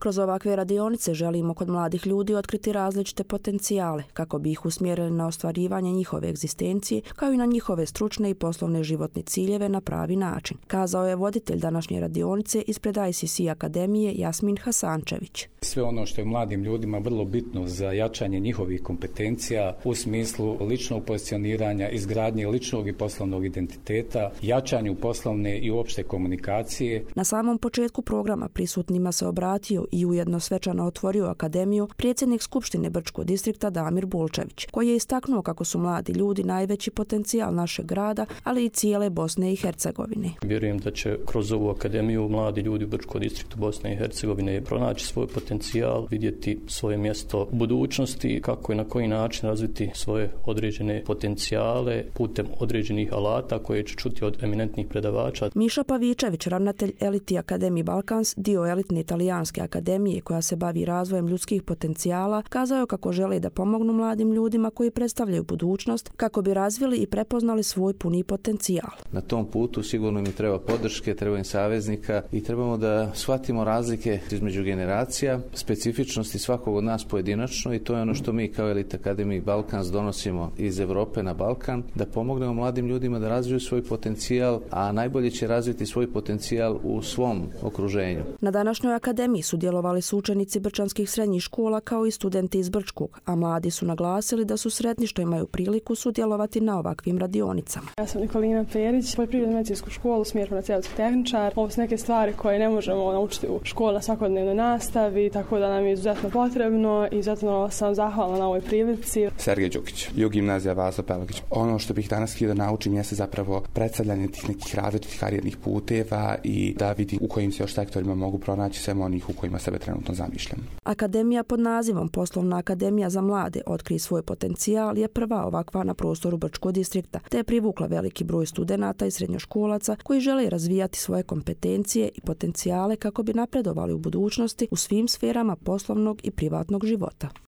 Kroz ovakve radionice želimo kod mladih ljudi otkriti različite potencijale kako bi ih usmjerili na ostvarivanje njihove egzistencije kao i na njihove stručne i poslovne životne ciljeve na pravi način, kazao je voditelj današnje radionice ispred ICC Akademije Jasmin Hasančević. Sve ono što je mladim ljudima vrlo bitno za jačanje njihovih kompetencija u smislu ličnog pozicioniranja, izgradnje ličnog i poslovnog identiteta, jačanju poslovne i opšte komunikacije. Na samom početku programa prisutnima se obratio i ujedno svečano otvorio akademiju predsjednik Skupštine Brčkog distrikta Damir Bulčević, koji je istaknuo kako su mladi ljudi najveći potencijal našeg grada, ali i cijele Bosne i Hercegovine. Vjerujem da će kroz ovu akademiju mladi ljudi u Brčkom distriktu Bosne i Hercegovine pronaći svoj potencijal, vidjeti svoje mjesto u budućnosti, kako i na koji način razviti svoje određene potencijale putem određenih alata koje će čuti od eminentnih predavača. Miša Pavičević, ravnatelj Eliti Akademiji Balkans, dio elitne italijanske akademije koja se bavi razvojem ljudskih potencijala, kazao je kako žele da pomognu mladim ljudima koji predstavljaju budućnost kako bi razvili i prepoznali svoj puni potencijal. Na tom putu sigurno im treba podrške, treba im saveznika i trebamo da shvatimo razlike između generacija, specifičnosti svakog od nas pojedinačno i to je ono što mi kao Elite Akademiji Balkans donosimo iz Europe na Balkan, da pomognemo mladim ljudima da razviju svoj potencijal, a najbolje će razviti svoj potencijal u svom okruženju. Na današnjoj akademiji sudjelovali su učenici brčanskih srednjih škola kao i studenti iz Brčkog, a mladi su naglasili da su sretni što imaju priliku sudjelovati na ovakvim radionicama. Ja sam Nikolina Perić, poljoprivredno-medicinsku školu, smjer farmaceutski tehničar. Ovo su neke stvari koje ne možemo naučiti u školi na svakodnevnoj nastavi, tako da nam je izuzetno potrebno i zato sam zahvalna na ovoj prilici. Sergej Đukić, Gimnazija Vaso Pelagić. Ono što bih danas htio da naučim jeste zapravo predstavljanje tih nekih različitih karijernih puteva i da vidim u kojim se još sektorima mogu pronaći sve onih u kojima sebe trenutno zamišljam. Akademija pod nazivom Poslovna akademija za mlade Otkri svoj potencijal je prva ovakva na prostoru Brčkog distrikta, te je privukla veliki broj studenata i srednjoškolaca koji žele razvijati svoje kompetencije i potencijale kako bi napredovali u budućnosti u svim sferama poslovnog i privatnog života.